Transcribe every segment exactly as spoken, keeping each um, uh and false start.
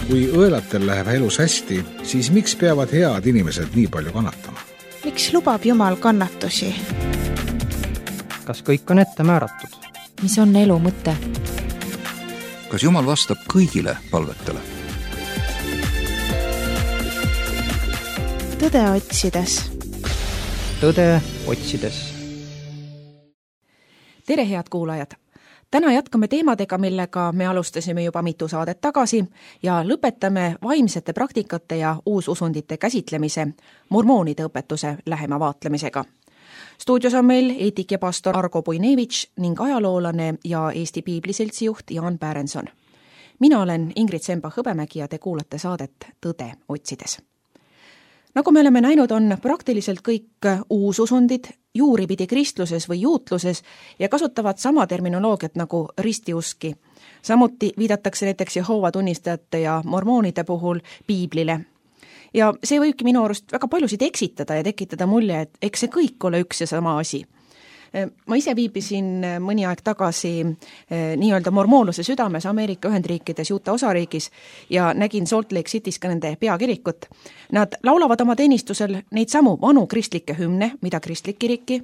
Kui õelatel läheb elus hästi, siis miks peavad head inimesed nii palju kannatama? Miks lubab Jumal kannatusi? Kas kõik on ette määratud? Mis on elu mõte? Kas Jumal vastab kõigile palvetele? Tõde otsides. Tõde otsides. Tere, head kuulajad! Täna jätkame teemadega, millega me alustasime juba mitu saadet tagasi ja lõpetame vaimsete praktikate ja uususundite käsitlemise mormoonide õpetuse lähema vaatlemisega. Stuudios on meil eetik ja pastor Argo Puinevitš ning ajaloolane ja Eesti Piibliseltsi juht Jaan Pärenson. Mina olen Ingrid Semba-Hõbemägi ja te kuulate saadet Tõde otsides. Nagu me oleme näinud, on praktiliselt kõik uususundid juuripidi kristluses või juutluses ja kasutavad sama terminoloogiat nagu ristiuski. Samuti viidatakse näiteks Jehoova tunnistajate ja mormoonide puhul Piiblile. Ja see võibki minu arust väga paljusid eksitada ja tekitada mulje, et eks see kõik ole üks ja sama asi. Ma ise viibisin mõni aeg tagasi nii-öelda mormoonluse südames Ameerika Ühendriikides Utah osariigis ja nägin Salt Lake City's ka nende peakirikut. Nad laulavad oma teenistusel neid samu vanu kristlikke hümne, mida kristlik kiriki.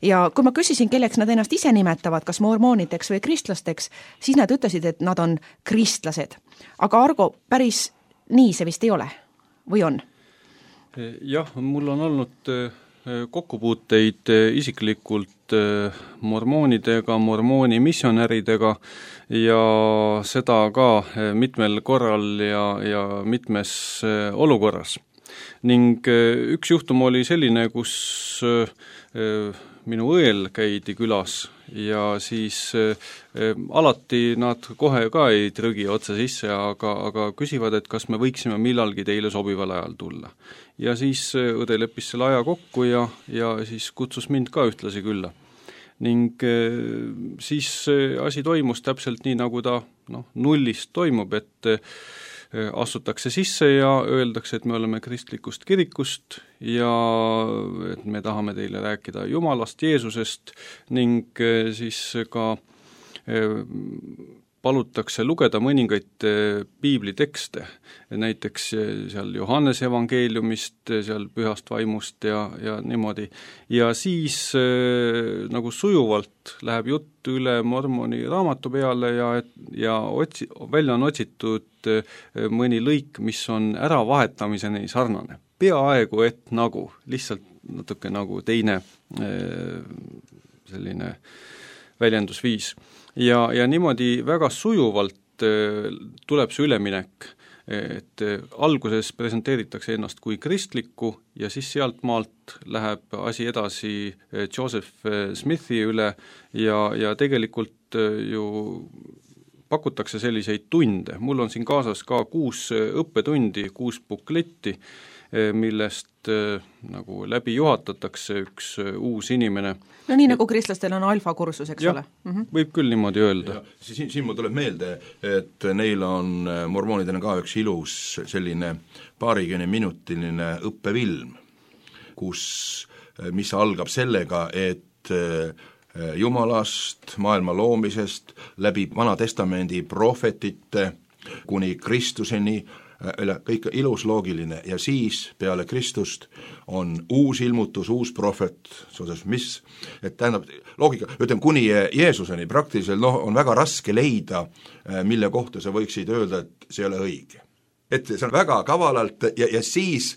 Ja kui ma küsisin, kelleks nad ennast ise nimetavad, kas mormoonideks või kristlasteks, siis nad ütlesid, et nad on kristlased. Aga Argo, päris nii see vist ei ole? Või on? Jah, mul on olnud kokkupuuteid isiklikult mormoonidega, mormooni missionäridega ja seda ka mitmel korral ja, ja mitmes olukorras. Ning üks juhtum oli selline, kus minu õel käidi külas ja siis äh, alati nad kohe ka ei trügi otse sisse, aga, aga küsivad, et kas me võiksime millalgi teile sobival ajal tulla. Ja siis õde leppis selle aja kokku ja, ja siis kutsus mind ka ühtlasi külla. Ning äh, siis asi toimus täpselt nii, nagu ta noh, nullist toimub, et äh, astutakse sisse ja öeldakse, et me oleme kristlikust kirikust ja et me tahame teile rääkida Jumalast, Jeesusest ning siis ka palutakse lugeda mõningaid piiblitekste, näiteks seal Johannese evangeeliumist, seal pühast vaimust ja, ja niimoodi. Ja siis nagu sujuvalt läheb jutt üle mormoni raamatu peale ja, ja otsi, välja on otsitud mõni lõik, mis on äravahetamiseni sarnane. Peaaegu et nagu, lihtsalt natuke nagu teine selline väljendusviis. Ja, ja niimoodi väga sujuvalt tuleb see üleminek, et alguses presenteeritakse ennast kui kristlikku ja siis sealt maalt läheb asi edasi Joseph Smithi üle ja, ja tegelikult ju pakutakse selliseid tunde. Mul on siin kaasas ka kuus õppetundi, kuus bukletti, millest nagu läbi juhatatakse üks uus inimene. No nii nagu kristlastel on alfa-kursus, eks ja, ole? Mm-hmm. Võib küll niimoodi öelda. Siin, siin mul tuleb meelde, et neil on mormoonidena ka üks ilus selline paarikümne minutiline õppefilm, kus, mis algab sellega, et Jumalast, maailma loomisest, läbi Vana Testamendi prohvetite kuni Kristuseni, kõik ilus loogiline ja siis peale Kristust on uus ilmutus, uus prohvet, mis, et tähendab, loogika, ütleme, kuni Jeesuseni praktiliselt noh, on väga raske leida, mille kohta sa võiksid öelda, et see ei ole õige. Et see on väga kavalalt ja, ja siis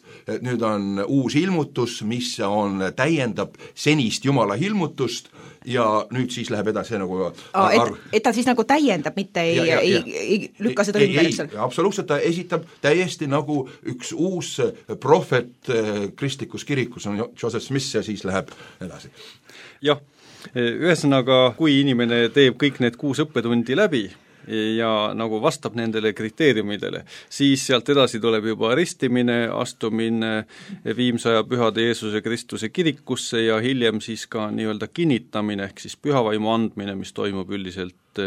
nüüd on uus ilmutus, mis on, täiendab senist Jumala ilmutust ja nüüd siis läheb edasi nagu Aa, et, et ta siis nagu täiendab, mitte ei, ja, ja, ei, ei, ei lükka seda ümber, eks ole? Absoluutselt, ta esitab täiesti nagu üks uus prohvet kristlikus kirikus on Joseph Smith ja siis läheb edasi. Jah, ühesõnaga, kui inimene teeb kõik need kuus õppetundi läbi ja nagu vastab nendele kriteeriumidele, siis sealt edasi tuleb juba ristimine, astumine viimsaja pühade Jeesuse Kristuse kirikusse ja hiljem siis ka nii-öelda kinnitamine ehk siis pühavaimu andmine, mis toimub üldiselt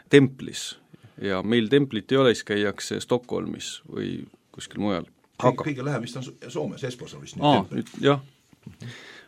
templis. Ja meil templit ei ole, siis käiakse Stockholmis või kuskil mujal. Kõige, kõige läheb vist on Soomes, Espos on vist Aa, nüüd, jah.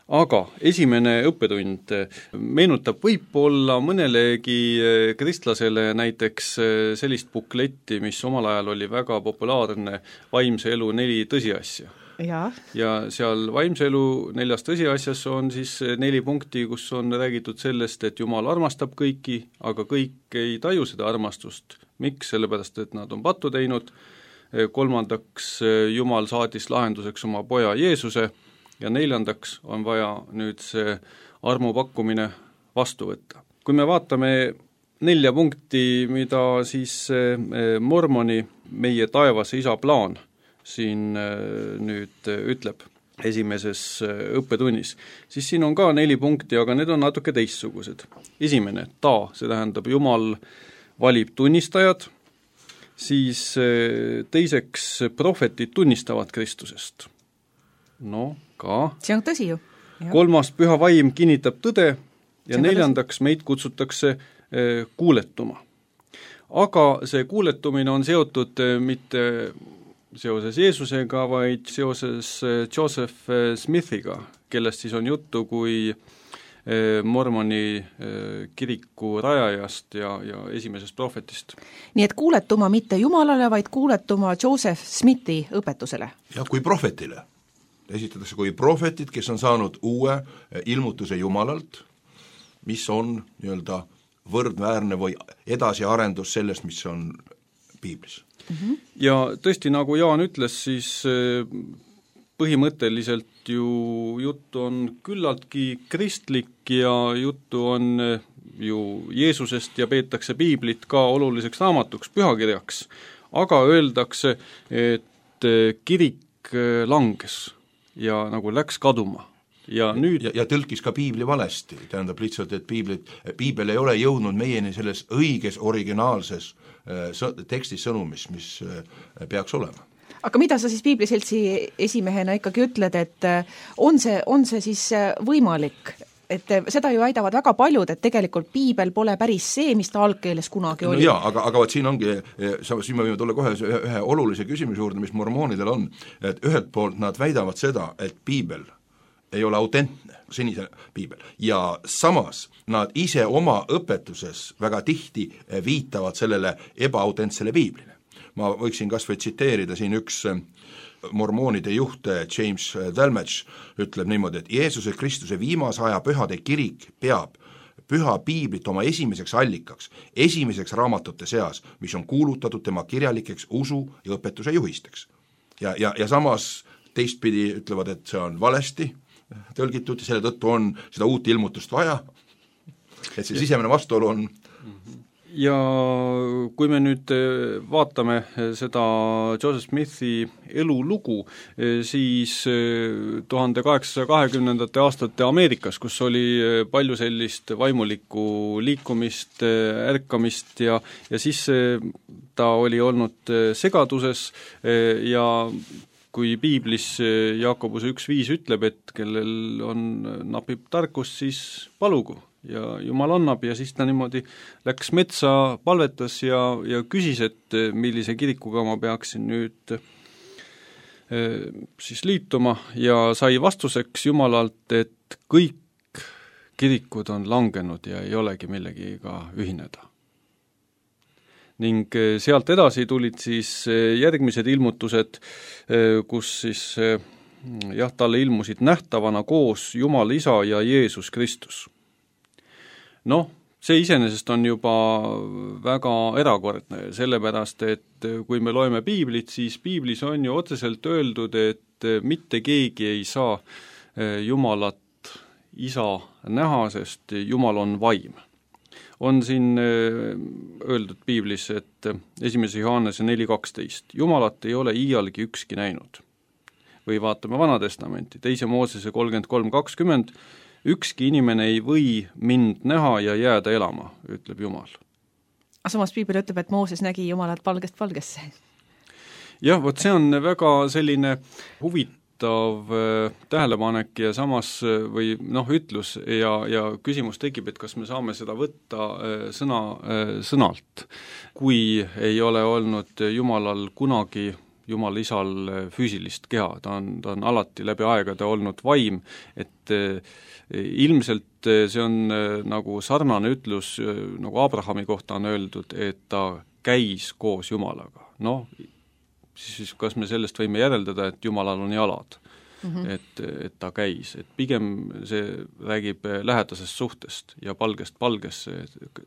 aga esimene õppetund meenutab võib-olla mõnelegi kristlasele näiteks sellist bukletti, mis omal ajal oli väga populaarne vaimse elu neli tõsiasja. Ja. ja seal vaimse elu neljas tõsiasjas on siis neli punkti, kus on räägitud sellest, et Jumal armastab kõiki, aga kõik ei taju seda armastust. Miks? Sellepärast, et nad on pattu teinud. Kolmandaks, Jumal saatis lahenduseks oma poja Jeesuse ja neljandaks on vaja nüüd see armu pakkumine vastu võtta. Kui me vaatame nelja punkti, mida siis mormoni meie taevase isa plaan siin nüüd ütleb esimeses õppetunnis, siis siin on ka neli punkti, aga need on natuke teistsugused. Esimene, ta, see tähendab Jumal valib tunnistajad, siis teiseks prohvetid tunnistavad Kristusest. No, ka. See on tõsi ju. Ja. Kolmas, püha vaim kinnitab tõde ja neljandaks meid kutsutakse kuuletuma. Aga see kuuletumine on seotud mitte seoses Jeesusega, vaid seoses Joseph Smithiga, kellest siis on juttu kui mormoni kiriku rajajast ja, ja esimesest prohvetist. Nii et kuuletuma mitte Jumalale, vaid kuuletuma Joseph Smithi õpetusele. Ja kui prohvetile. Esitatakse kui prohvetid, kes on saanud uue ilmutuse Jumalalt, mis on nii-öelda võrdväärne või edasiarendus sellest, mis on piiblis. Mm-hmm. Ja tõesti, nagu Jaan ütles, siis põhimõtteliselt ju juttu on küllaltki kristlik ja juttu on ju Jeesusest ja peetakse piiblit ka oluliseks raamatuks, pühakirjaks, aga öeldakse, et kirik langes ja nagu läks kaduma. Ja, nüüd... ja, ja tõlkis ka piibli valesti, tähendab lihtsalt, et piiblit, piibel ei ole jõudnud meieni selles õiges originaalses äh, tekstis sõnumis, mis äh, peaks olema. Aga mida sa siis piibliseltsi esimehena ikkagi ütled, et on see, on see siis võimalik, et seda ju väidavad väga paljud, et tegelikult piibel pole päris see, mis ta algkeeles kunagi oli. No jaa, aga, aga vaat siin ongi, siin me võime tulla kohe ühe, ühe olulise küsimuse juurde, mis mormoonidel on, et ühelt poolt nad väidavad seda, et piibel ei ole autentne, senise piibel, ja samas nad ise oma õpetuses väga tihti viitavad sellele ebaaautentsele piiblile. Ma võiksin kas või tsiteerida siin üks mormoonide juht James Talmage ütleb niimoodi, et Jeesuse Kristuse viimase aja pühade kirik peab püha piiblit oma esimeseks allikaks, esimeseks raamatute seas, mis on kuulutatud tema kirjalikeks usu ja õpetuse juhisteks. Ja, ja, ja samas teistpidi ütlevad, et see on valesti tõlgitud ja selle tõttu on seda uut ilmutust vaja, et see sisemine vastuolu on. Ja kui me nüüd vaatame seda Joseph Smithi elulugu, siis tuhande kaheksasaja kahekümnendate aastate Ameerikas, kus oli palju sellist vaimulikku liikumist, ärkamist ja, ja siis ta oli olnud segaduses ja kui piiblis Jaakobuse üks viis ütleb, et kellel on, napib tarkust, siis palugu ja Jumal annab ja siis ta niimoodi läks metsa, palvetas ja, ja küsis, et millise kirikuga ma peaksin nüüd siis liituma ja sai vastuseks Jumalalt, et kõik kirikud on langenud ja ei olegi millegiga ühineda. Ning sealt edasi tulid siis järgmised ilmutused, kus siis jah, talle ilmusid nähtavana koos Jumal Isa ja Jeesus Kristus. Noh, see iseenesest on juba väga erakordne, sellepärast, et kui me loeme piiblit, siis piiblis on ju otseselt öeldud, et mitte keegi ei saa Jumalat Isa näha, sest Jumal on vaim. On siin öeldud piiblis, et esimese Johannese neli kaksteist, Jumalat ei ole iialgi ükski näinud. Või vaatame Vana Testamenti, teise Moosese kolmkümmend kolm kakskümmend, ükski inimene ei või mind näha ja jääda elama, ütleb Jumal. Aga samas piibel ütleb, et Mooses nägi Jumalat palgest palgesse. Jah, vot see on väga selline huvitav tähelepanek ja samas või noh, ütlus ja, ja küsimus tekib, et kas me saame seda võtta sõna sõnalt. Kui ei ole olnud Jumalal kunagi Jumal isal füüsilist keha, ta on, ta on alati läbi aegade olnud vaim, et ilmselt see on nagu sarnane ütlus, nagu Abrahami kohta on öeldud, et ta käis koos Jumalaga. Noh, siis kas me sellest võime järeldada, et Jumalal on jalad, mm-hmm. et, et ta käis, et pigem see räägib lähedasest suhtest ja palgest palgesse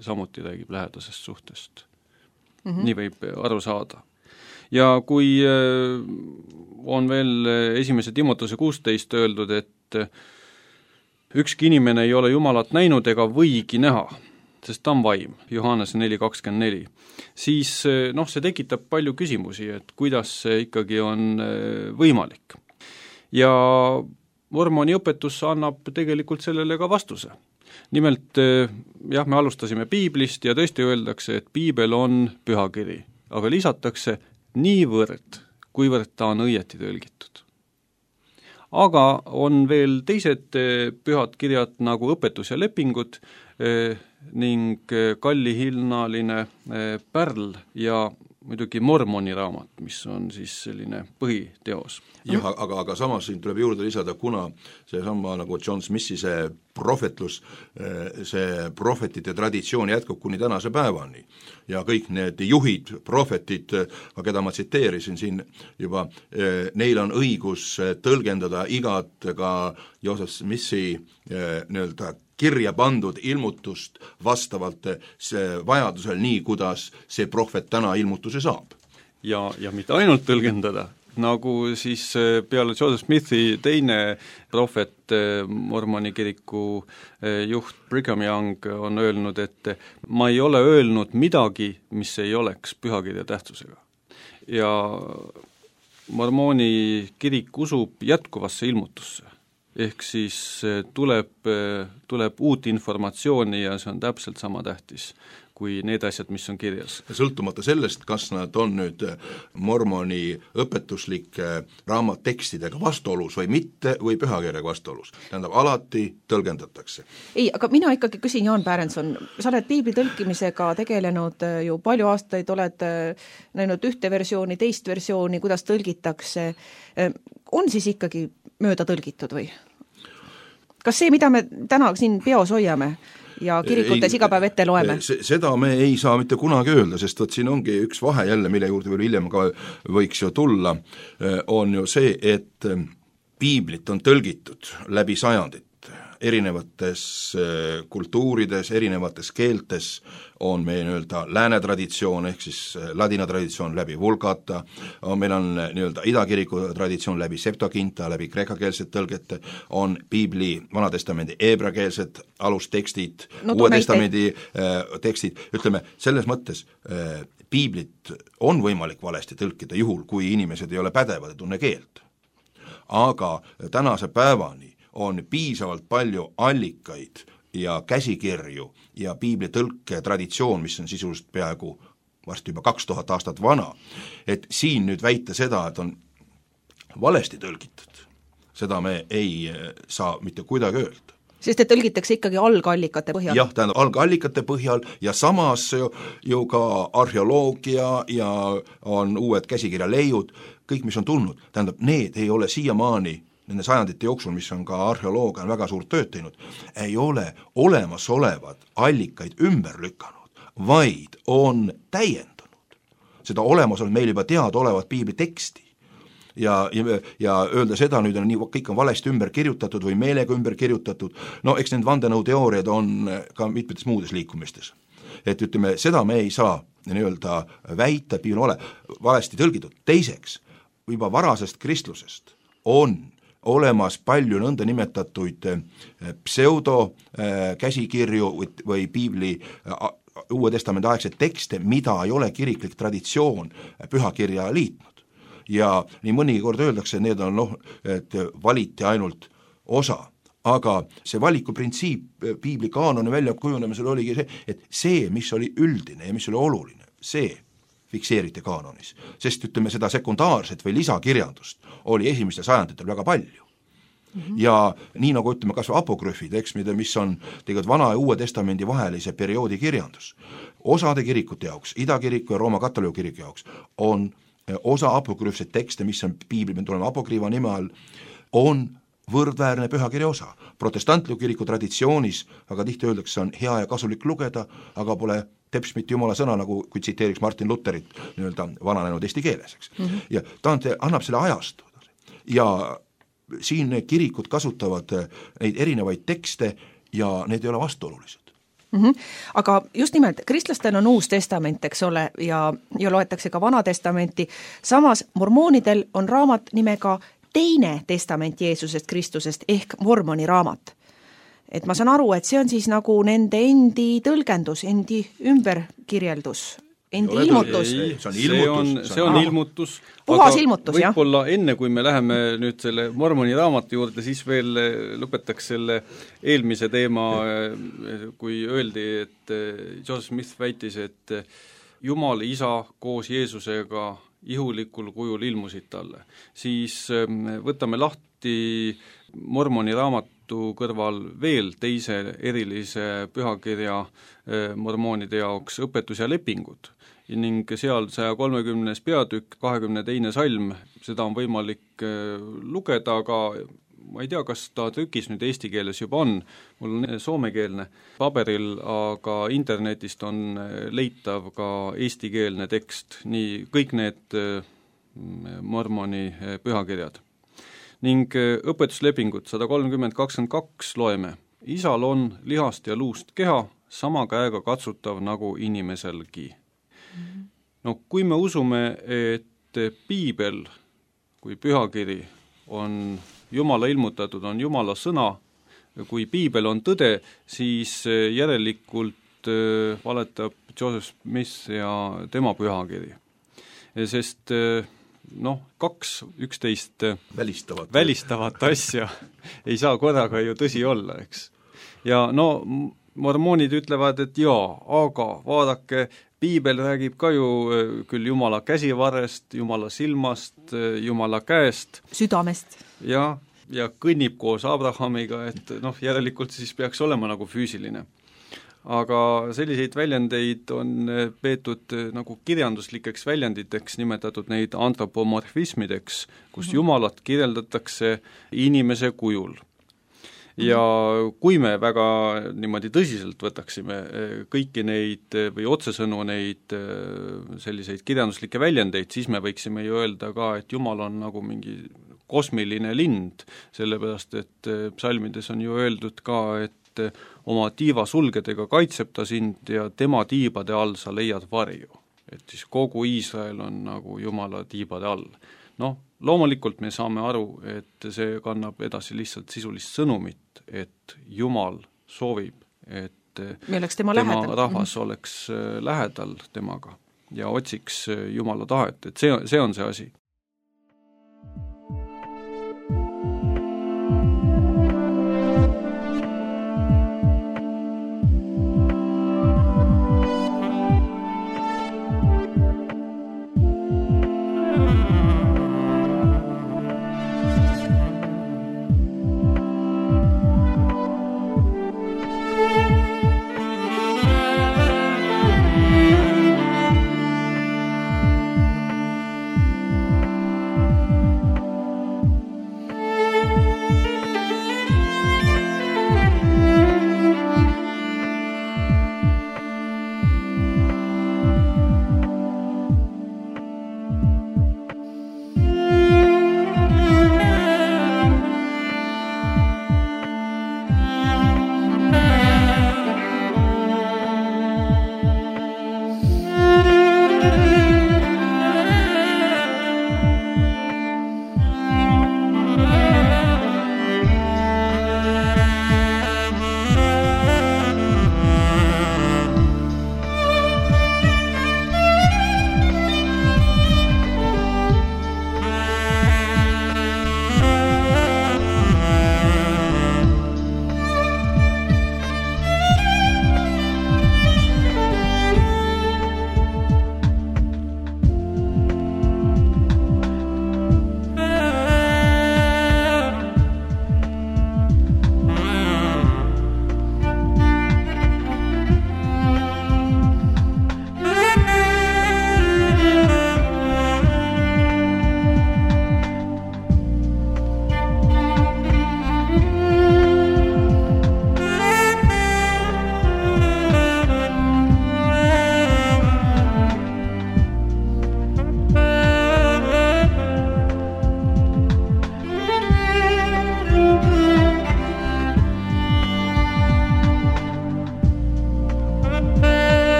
samuti räägib lähedasest suhtest. Mm-hmm. Nii võib aru saada. Ja kui on veel esimese Timotuse kuusteist öeldud, et ükski inimene ei ole Jumalat näinud ega võigi näha, sest ta on vaim, Johannese neli kakskümmend neli, siis noh, see tekitab palju küsimusi, et kuidas see ikkagi on võimalik. Ja mormoni õpetus annab tegelikult sellele ka vastuse. Nimelt, jah, me alustasime piiblist ja tõesti öeldakse, et piibel on pühakiri, aga lisatakse niivõrd, kuivõrd ta on õieti tõlgitud. Aga on veel teised pühad kirjad nagu õpetus ja lepingud ning kallihinnaline pärl ja muidugi mormoni raamat, mis on siis selline põhiteos. Jah, aga, aga samas siin tuleb juurde lisada, kuna see sama nagu John Smithi see prohvetlus, see prohvetite traditsioon jätkub kuni tänase päevani ja kõik need juhid, prohvetid, keda ma tsiteerisin siin juba, neil on õigus tõlgendada igat ka Joseph Smithi nii-öelda kirja pandud ilmutust vastavalt vajadusel nii, kuidas see prohvet täna ilmutuse saab. Ja, ja mitte ainult tõlgendada, nagu siis peale Joseph Smithi teine prohvet, mormoni kiriku juht Brigham Young on öelnud, et ma ei ole öelnud midagi, mis ei oleks pühakirja tähtsusega. Ja mormoni kirik usub jätkuvasse ilmutusse. Ehk siis tuleb, tuleb uut informatsiooni ja see on täpselt sama tähtis kui need asjad, mis on kirjas. Sõltumata sellest, kas nad on nüüd mormoni õpetuslike raamattekstidega vastuolus või mitte, või pühakirjaga vastuolus. Tähendab, alati tõlgendatakse. Ei, aga mina ikkagi küsin, Jaan Pärenson, sa oled piibli tõlkimisega tegelenud ju palju aastaid, oled näinud ühte versiooni, teist versiooni, kuidas tõlgitakse. On siis ikkagi mööda tõlgitud või? Kas see, mida me täna siin peos hoiame ja kirikutes ei, iga päev ette loeme? Seda me ei saa mitte kunagi öelda, sest võt siin ongi üks vahe jälle, mille juurde veel hiljem ka võiks ju tulla, on ju see, et piiblit on tõlgitud läbi sajandit. Erinevates kultuurides, erinevates keeltes on meie nii-öelda lääne traditsioon, ehk siis ladina traditsioon läbi Vulgata, meil on nii-öelda idakiriku traditsioon läbi Septuaginta, läbi kreekakeelsed tõlgete, on piibli vanatestamendi eebrakeelsed alustekstid, no, uue testamendi äh, tekstid, ütleme, selles mõttes äh, piiblit on võimalik valesti tõlkida juhul, kui inimesed ei ole pädevad ja tunne keelt. Aga tänase päevani on piisavalt palju allikaid ja käsikirju ja piibli tõlke traditsioon, mis on sisuliselt peaaegu varsti juba kaks tuhat aastat vana, et siin nüüd väita seda, et on valesti tõlgitud, seda me ei saa mitte kuidagi öelda. Sest et tõlgitakse ikkagi algallikate põhjal. Jah, tähendab algallikate põhjal ja samas ju, ju ka arheoloogia ja on uued käsikirjaleiud, kõik mis on tulnud, tähendab need ei ole siiamaani nende sajandite jooksul, mis on ka arheoloogia on väga suurt tööd teinud, ei ole olemasolevad allikaid ümber lükanud, vaid on täiendanud seda olemasolevat meil juba teada olevat piibli teksti. Ja, ja, ja öelda seda nüüd on nii, kõik on valesti ümber kirjutatud või meelega ümber kirjutatud, no eks need vandenõuteooriad on ka mitmetes muudes liikumistes. Et ütleme, seda me ei saa nii-öelda väita, piibel ole valesti tõlgitud. Teiseks, juba varasest kristlusest on olemas palju nõnda nimetatuid pseudo käsikirju või, või piibli uue testamendi aegseid tekste, mida ei ole kiriklik traditsioon pühakirja liitnud. Ja nii mõnigi kord öeldakse, et need on noh, et valiti ainult osa. Aga see valikuprintsiip piibli kaanoni välja kujunemisel oligi see, et see, mis oli üldine ja mis oli oluline, see fikseeriti kaanonis, sest ütleme seda sekundaarset või lisakirjandust oli esimestel sajanditel väga palju. Mm-hmm. Ja nii nagu ütleme kas või apokrüfid, eks, mida, mis on tegelikult vana ja uue testamendi vahelise perioodi kirjandus. Osade kirikute jaoks, idakiriku ja Rooma katoliku kiriku jaoks on osa apokrüüfseid tekste, mis on piibli, me tuleme apokriiva nime all, on võrdväärne pühakirja osa. Protestantliku kiriku traditsioonis aga tihti öeldakse, on hea ja kasulik lugeda, aga pole teps mitte jumala sõna, nagu kui tsiteeriks Martin Lutherit nii-öelda vananenud eesti keeles, eks. Mm -hmm. ja ta annab selle ajastu. Ja siin kirikud kasutavad neid erinevaid tekste ja need ei ole vastuolulised. Mm -hmm. Aga just nimelt, kristlastel on uus testament, eks ole, ja, ja loetakse ka Vana testamenti, samas mormoonidel on raamat nimega Teine testament Jeesusest Kristusest ehk Mormoni raamat. Et ma saan aru, et see on siis nagu nende endi tõlgendus, endi ümberkirjeldus, endi Ole, ilmutus. Ei, see on ilmutus. See on, on ilmutus. Puhas ilmutus, jah. Võib-olla enne, kui me läheme nüüd selle Mormoni raamatu juurde, siis veel lõpetaks selle eelmise teema, kui öeldi, et Joseph Smith väitis, et Jumal isa koos Jeesusega ihulikul kujul ilmusid talle. Siis võtame lahti Mormoni raamatu kõrval veel teise erilise pühakirja mormoonide jaoks õpetus ja lepingud ning seal saja kolmekümnes peatükk, kahekümne teine salm, seda on võimalik lugeda, aga ma ei tea, kas ta trükis nüüd eesti keeles juba on, mul on soomekeelne paberil, aga internetist on leitav ka eestikeelne tekst, nii kõik need mormoni pühakirjad. Ning õpetuslepingud sada kolmkümmend kakskümmend kaks loeme, isal on lihast ja luust keha, sama käega katsutav nagu inimeselgi. No kui me usume, et piibel kui pühakiri on Jumala ilmutatud, on Jumala sõna, kui piibel on tõde, siis järelikult valetab Joseph Smith ja tema pühakiri. Sest noh, kaks üksteist välistavat, välistavat asja ei saa korraga ju tõsi olla, eks. Ja no mormoonid ütlevad, et jaa, aga vaadake, piibel räägib ka ju küll Jumala käsivarrest, Jumala silmast, Jumala käest. Südamest. Ja, ja kõnnib koos Abrahamiga, et noh, järelikult siis peaks olema nagu füüsiline. Aga selliseid väljendeid on peetud nagu kirjanduslikeks väljenditeks, nimetatud neid antropomorfismideks, kus Jumalat kirjeldatakse inimese kujul. Ja kui me väga niimoodi tõsiselt võtaksime kõiki neid või otsesõnu neid selliseid kirjanduslikke väljendeid, siis me võiksime ju öelda ka, et Jumal on nagu mingi kosmiline lind, sellepärast et psalmides on ju öeldud ka, et oma tiiva sulgedega kaitseb ta sind ja tema tiibade all sa leiad varju. Et siis kogu Iisrael on nagu Jumala tiibade all. Noh, loomulikult me saame aru, et see kannab edasi lihtsalt sisulist sõnumit, et Jumal soovib, et tema, tema lähedal. rahvas oleks lähedal temaga ja otsiks Jumala tahet, et see, see on see asi.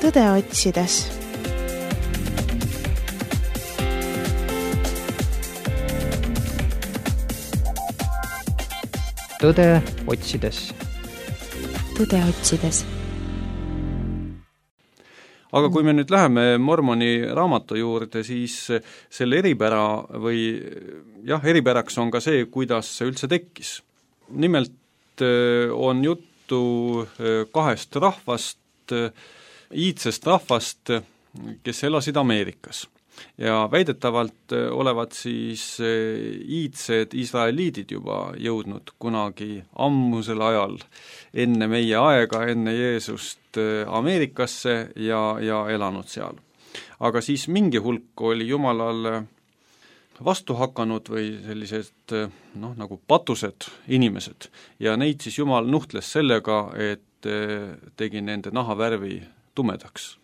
tõde otsides. tõde otsides. tõde otsides. aga kui me nüüd läheme Mormoni raamatu juurde, siis selle eripära või jah, eripäraks on ka see, kuidas see üldse tekkis. Nimelt on juttu kahest rahvast, iidsest rahvast, kes elasid Ameerikas. Ja väidetavalt olevat siis iidsed israeliidid juba jõudnud kunagi ammusel ajal enne meie aega, enne Jeesust Ameerikasse ja, ja elanud seal. Aga siis mingi hulk oli Jumalale vastu hakanud või sellised noh, nagu patused inimesed ja neid siis Jumal nuhtles sellega, et tegi nende nahavärvi tumedaks.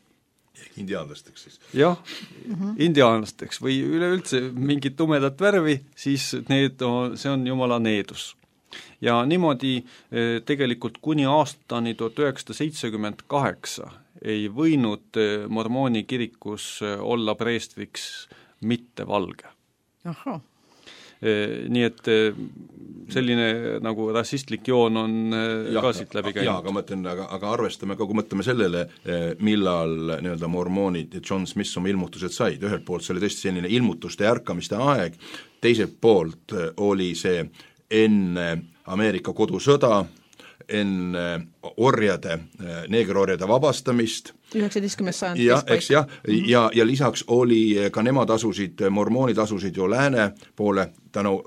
Indiaanlasteks siis. jah, mm-hmm. indiaanlasteks või üleüldse mingit tumedat värvi, siis need on, see on Jumala needus. Ja niimoodi tegelikult kuni aastani tuhat üheksasada seitsekümmend kaheksa ei võinud mormooni kirikus olla preestriks mitte valge. Ahah. Nii et selline nagu rassistlik joon on ja, ka siit läbi käinud. Jaa, aga mõtlen, aga, aga arvestame ka, kui mõtleme sellele, millal nii-öelda mormoonid ja John Smith oma ilmutused said, ühelt poolt see oli tõesti selline ilmutuste ja ärkamiste aeg, teiselt poolt oli see enne Ameerika kodusõda, enne orjade, neegerorjade vabastamist, üheksateistkümnes sajand ja, eks jah, ja, ja lisaks oli ka nemad asusid, mormoonid asusid ju lääne poole tänu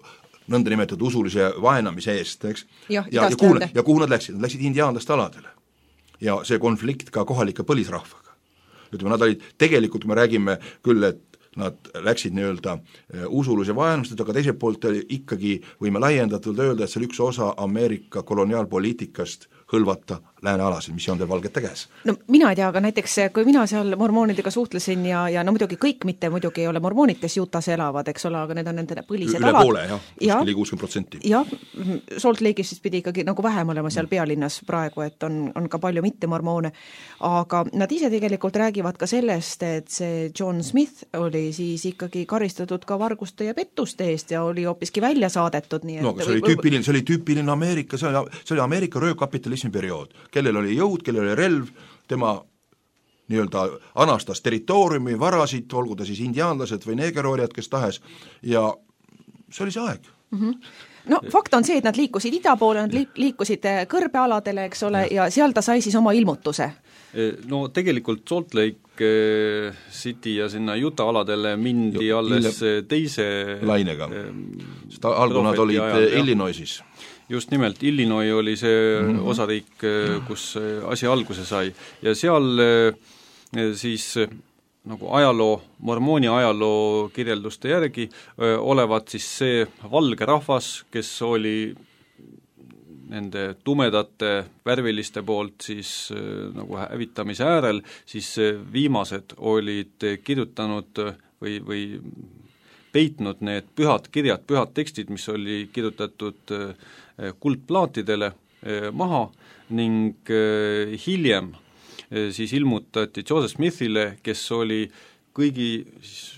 nõnda nimetatud usulise vaenamise eest, eks? Ja, ja, ja, kuhu, ja kuhu nad läksid? Nad läksid indiaanlaste aladele. Ja see konflikt ka kohalike põlisrahvaga. Ütleme, nad olid, tegelikult me räägime küll, et nad läksid nii-öelda usulise vaenustad, aga teiselt poolt ikkagi võime laiendatult öelda, et see oli üks osa Ameerika koloniaalpoliitikast hõlvata läänealasid, mis on teil valgete käes. No mina ei tea, aga näiteks kui mina seal mormoonidega suhtlesin ja, ja no muidugi kõik mitte muidugi ei ole mormoonid, kes Jutas elavad, eks ole, aga need on nende põlised üle alad. Üle poole, jah, kuskili kuuskümmend protsenti. Jah, Salt Lake'is siis pidi ikkagi nagu vähem olema seal pealinnas praegu, et on, on ka palju mitte mormoone, aga nad ise tegelikult räägivad ka sellest, et see John Smith oli siis ikkagi karistatud ka varguste ja pettuste eest ja oli hoopiski välja saadetud. Nii et no, aga see oli tüüpiline, see oli tüüpiline Ameerika, see oli, see oli Ameerika röövkapitalismi periood, kellel oli jõud, kellel oli relv, tema nii-öelda anastas territooriumi, varasid, olgu ta siis indiaanlased või neegerorjad, kes tahes, ja see oli see aeg. Mm-hmm. No fakt on see, et nad liikusid ida poole, nad liikusid kõrbealadele, eks ole, ja seal ta sai siis oma ilmutuse. No tegelikult Salt Lake City ja sinna Utah aladele mindi jo, alles ille... teise lainega, sest algu nad olid ajal, Illinoisis. Just nimelt, Illinois oli see mm-hmm. osariik, kus asi alguse sai ja seal siis nagu ajaloo, mormooni ajaloo kirjelduste järgi öö, olevat siis see valge rahvas, kes oli nende tumedate värviliste poolt siis öö, nagu hävitamise äärel, siis viimased olid kirjutanud või, või peitnud need pühad kirjad, pühad tekstid, mis oli kirjutatud öö, kuldplaatidele öö, maha ning öö, hiljem siis ilmutati Joseph Smithile, kes oli kõigi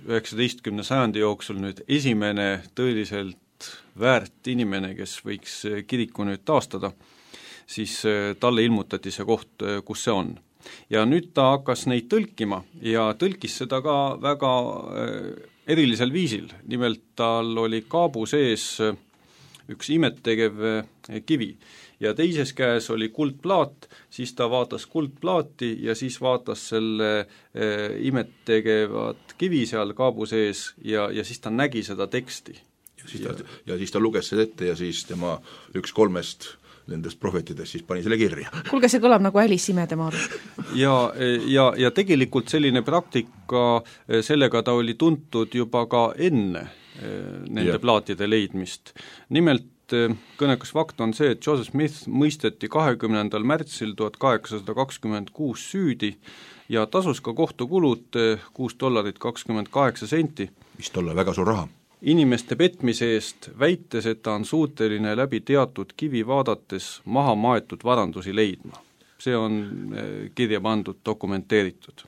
üheksateistkümne sajandi jooksul nüüd esimene tõeliselt väärt inimene, kes võiks kiriku nüüd taastada, siis talle ilmutati see koht, kus see on. Ja nüüd ta hakkas neid tõlkima ja tõlkis seda ka väga erilisel viisil, nimelt tal oli kaabu sees üks imettegev kivi ja teises käes oli kuldplaat, siis ta vaatas kuldplaati ja siis vaatas selle eh, imettegevat kivi seal kaabu sees ja, ja siis ta nägi seda teksti. Ja siis ta, ja siis ta luges seda ette ja siis tema üks kolmest nendest prohvetidest siis pani selle kirja. Kuulge, see kõlab nagu Alice imedemaal. ja, ja, ja tegelikult selline praktika, sellega ta oli tuntud juba ka enne nende ja. plaatide leidmist. Nimelt kõnekas fakt on see, et Joseph Smith mõisteti kahekümnendal märtsil tuhat kaheksasada kakskümmend kuus süüdi ja tasus ka kohtukulud kuus dollarit kakskümmend kaheksa senti. Vist olla väga suur raha. Inimeste petmise eest, väites, et ta on suuteline läbi teatud kivi vaadates maha maetud varandusi leidma. see on kirja pandud, dokumenteeritud.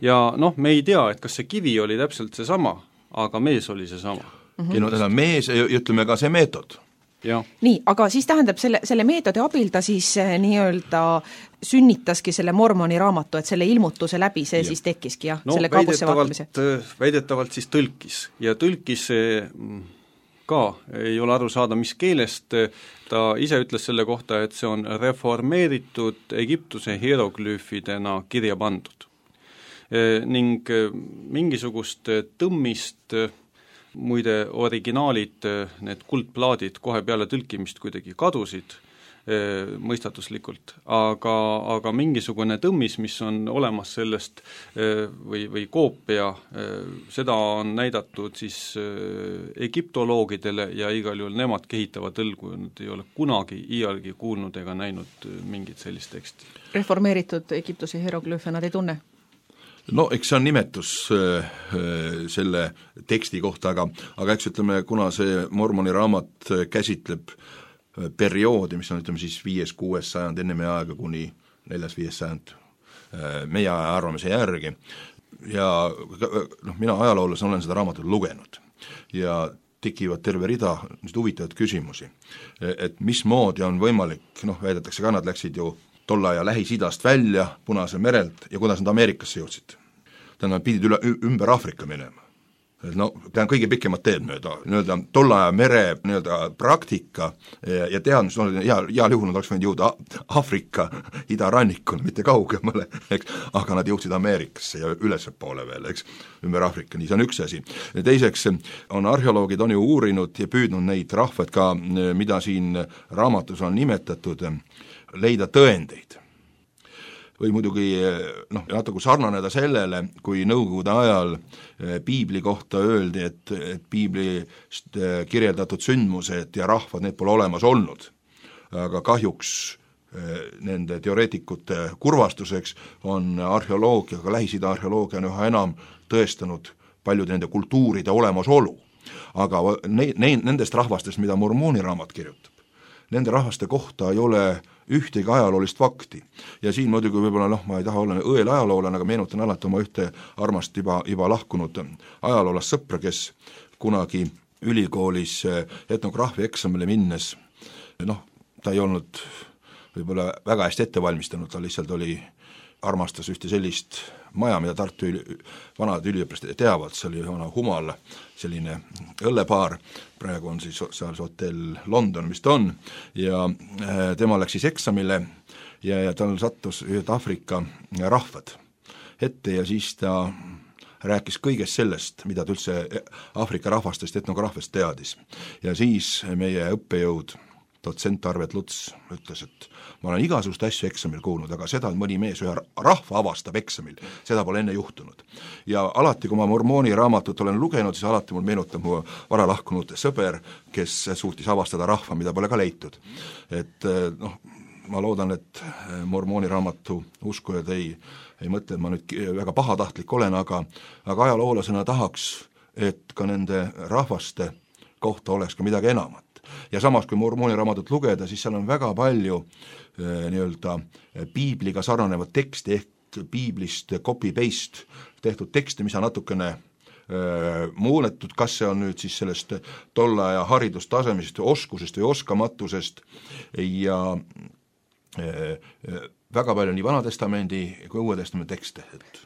Ja noh, me ei tea, et kas see kivi oli täpselt seesama, aga mees oli seesama. Mm-hmm. Ja no täna mees, ütleme ka see meetod. Ja. Nii, aga siis tähendab selle, selle meetodi abil ta siis nii-öelda sünnitaski selle Mormoni raamatu, et selle ilmutuse läbi see ja. Siis tekkiski, jah, no, selle kaabusse vaatamise. Väidetavalt siis tõlkis ja tõlkis ka, ei ole aru saada, mis keelest, ta ise ütles selle kohta, et see on reformeeritud Egiptuse hieroglüüfidena kirja pandud. E, ning mingisugust tõmmist, muide originaalid, need kuldplaadid kohe peale tõlkimist kuidagi kadusid e, mõistatuslikult, aga, aga mingisugune tõmmis, mis on olemas sellest e, või, või koopia, e, seda on näidatud siis e, egiptoloogidele ja igal juhul nemad kehitavad tõlgu, nad ei ole kunagi iialgi kuulnud ega näinud mingit sellist teksti. Reformeeritud Egiptuse hieroglüüfe nad ei tunne? No eks see on nimetus äh, selle teksti kohta, aga, aga eks ütleme, kuna see Mormoni raamat käsitleb perioodi, mis on ütleme siis viies, kuues sajand enne meie aega kuni neljas, viies sajand äh, meie aja arvamise järgi ja noh, mina ajaloolasena olen seda raamatut lugenud ja tekivad terve rida huvitavaid küsimusi, et mismoodi on võimalik, noh väidetakse ka, nad läksid ju tolle aja Lähis-Idast välja Punase merelt ja kuidas nad Ameerikasse jõudsid. Tähendab, pidid üle, ümber Aafrika minema. No, ta on kõige pikemad teed mööda, nii-öelda tolle aja mere nii-öelda praktika ja, ja teadmus, no, heal, heal juhul nad oleks võinud jõuda Aafrika idarannikule, mitte kaugemale, eks, aga nad jõudsid Ameerikasse ja ülese poole veel, eks, ümber Aafrika, nii see on üks asi. Teiseks on arheoloogid on ju uurinud ja püüdnud neid rahvad ka, mida siin raamatus on nimetatud, leida tõendeid. Või muidugi noh, natuke sarnaneda sellele, kui Nõukogude ajal piibli kohta öeldi, et, et piiblist kirjeldatud sündmused ja rahvad, need pole olemas olnud. Aga kahjuks nende teoreetikute kurvastuseks on arheoloogia, ka Lähis-Ida arheoloogia on üha enam tõestanud paljude nende kultuuride olemasolu. Aga ne, ne, nendest rahvastest, mida Mormoni raamat kirjutab, nende rahvaste kohta ei ole ühtegi ajaloolist fakti. Ja siin muidugi võib-olla, noh, ma ei taha olla õel ajaloolane, aga meenutan alati oma ühte armast juba, juba lahkunud ajaloolast sõpra, kes kunagi ülikoolis etnograafia eksamile minnes, noh, ta ei olnud võib-olla väga hästi ette valmistanud, ta lihtsalt oli, armastas ühte sellist maja, mida Tartu üli, vanad üliõpilased teavad, see oli vana Humal, selline õllepaar, praegu on siis seal hotell London, mis ta on, ja tema läks siis eksamile ja, ja tal sattus ühed Aafrika rahvad ette ja siis ta rääkis kõigest sellest, mida ta üldse Aafrika rahvastest etnograafiast teadis. Ja siis meie õppejõud dotsent Arvet Luts ütles, et ma olen igasugust asju eksamil kuulnud, aga seda, et mõni mees ühe rahva avastab eksamil, seda pole enne juhtunud. Ja alati, kui ma Mormoni raamatut olen lugenud, siis alati mul meenutab mu vara lahkunud sõber, kes suutis avastada rahva, mida pole ka leitud. Et noh, ma loodan, et Mormoni raamatu uskujad ei, ei mõtle, et ma nüüd väga pahatahtlik olen, aga, aga ajaloolasena tahaks, et ka nende rahvaste kohta oleks ka midagi enamat. Ja samas, kui Mormoni raamatut lugeda, siis seal on väga palju äh, nii-öelda piibliga sarnanevat teksti ehk piiblist copy-paste tehtud teksti, mis on natukene äh, muudetud, kas see on nüüd siis sellest tolle aja haridustasemest, oskusest või oskamatusest ja äh, väga palju nii Vanatestamendi kui Uue Testamendi tekste, et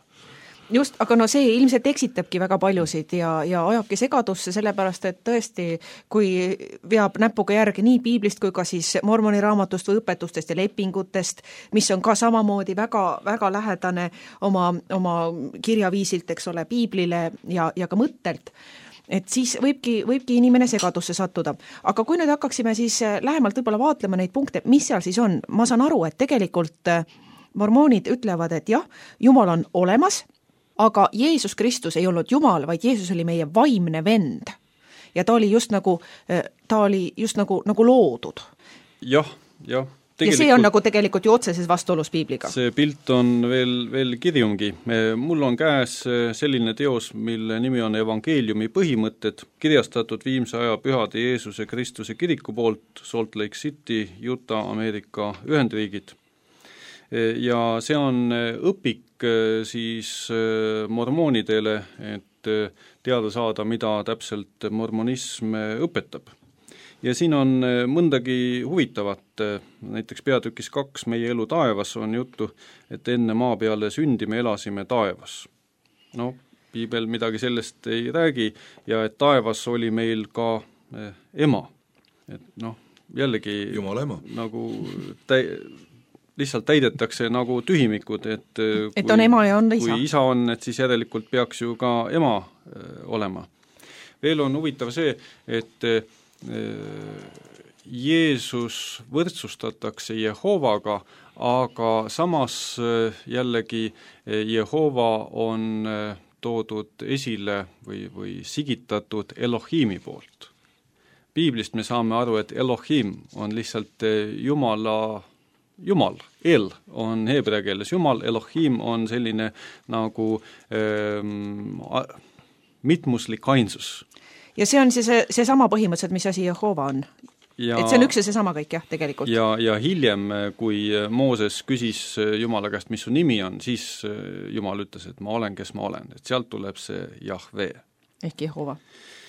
just, aga no see ilmselt eksitabki väga paljusid ja, ja ajabki segadusse, sellepärast et tõesti, kui veab näpuga järgi nii piiblist kui ka siis Mormoni raamatust või õpetustest ja lepingutest, mis on ka samamoodi väga, väga lähedane oma, oma kirjaviisilt, eks ole, piiblile ja, ja ka mõttelt, et siis võibki, võibki inimene segadusse sattuda. Aga kui nüüd hakkaksime siis lähemalt võib-olla vaatlema neid punkte, mis seal siis on, ma saan aru, et tegelikult mormoonid ütlevad, et jah, Jumal on olemas, aga Jeesus Kristus ei olnud Jumal, vaid Jeesus oli meie vaimne vend. Ja ta oli just nagu, ta oli just nagu, nagu loodud. Jah, jah. Ja see on nagu tegelikult ju otseses vastuolus piibliga. See pilt on veel, veel kirjumgi. Mul on käes selline teos, mille nimi on Evangeeliumi põhimõtted, kirjastatud viimse aja pühade Jeesuse Kristuse kiriku poolt Salt Lake City, Utah, Ameerika Ühendriigid. ja see on õpik siis mormoonidele, et teada saada, mida täpselt mormonism õpetab. Ja siin on mõndagi huvitavat, näiteks peatükis kaks Meie elu taevas on juttu, et enne maa peale sündi me elasime taevas. No, piibel midagi sellest ei räägi ja et taevas oli meil ka ema. Et noh, jällegi Jumala ema. Nagu täi, lihtsalt täidetakse nagu tühimikud, et, et kui, on ema ja on isa. Kui isa on, et siis järelikult peaks ju ka ema olema. Veel on huvitav see, et Jeesus võrdsustatakse Jehovaga, aga samas jällegi Jehova on toodud esile või, või sigitatud Elohimi poolt. Piiblist me saame aru, et Elohim on lihtsalt Jumala, Jumal, El on heebrea keeles Jumal, Elohim on selline nagu ähm, mitmuslik ainsus. Ja see on see, see, see sama põhimõtteliselt, mis asi Jehova on. Ja, et see on üks ja see sama kõik, jah, tegelikult. Ja, ja hiljem, kui Mooses küsis Jumala käest, mis su nimi on, siis Jumal ütles, et ma olen, kes ma olen. Et sealt tuleb see Jahve. Ehk Jehova.